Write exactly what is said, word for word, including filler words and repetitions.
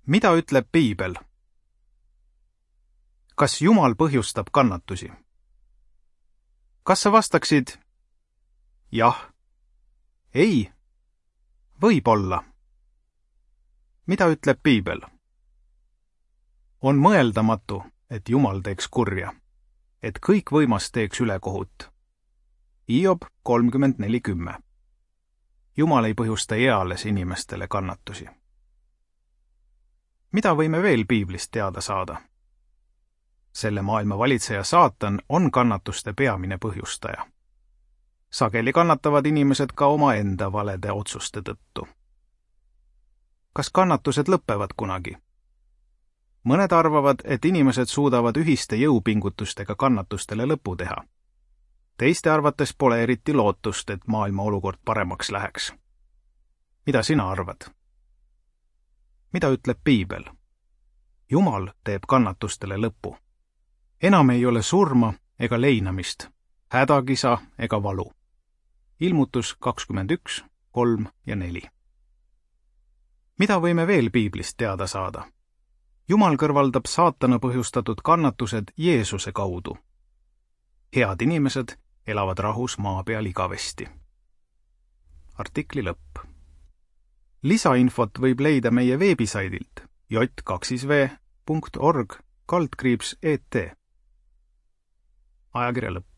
Mida ütleb Piibel? Kas Jumal põhjustab kannatusi? Kas sa vastaksid jah, ei, võib-olla? Mida ütleb Piibel? On mõeldamatu, et Jumal teeks kurja, et kõik võimas teeks ülekohut. Hiob kolmkümmend neli kümme. Jumal ei põhjusta eales inimestele kannatusi. Mida võime veel Piiblist teada saada? Selle maailma valitseja Saatan on kannatuste peamine põhjustaja. Sageli kannatavad inimesed ka omaenda valede otsuste tõttu. Kas kannatused lõpevad kunagi? Mõned arvavad, et inimesed suudavad ühiste jõupingutustega kannatustele lõpu teha. Teiste arvates pole eriti lootust, et maailma olukord paremaks läheks. Mida sina arvad? Mida ütleb Piibel? Jumal teeb kannatustele lõpu. Enam ei ole surma ega leinamist, hädakisa ega valu. Ilmutus kakskümmend üks, kolm ja neli. Mida võime veel Piiblist teada saada? Jumal kõrvaldab saatana põhjustatud kannatused Jeesuse kaudu. Head inimesed elavad rahus maa peal igavesti. Artikli lõpp. Lisainfot võib leida meie veebisaidilt j kaks v punkt org kaldkriips et. Ajakirja lõpp.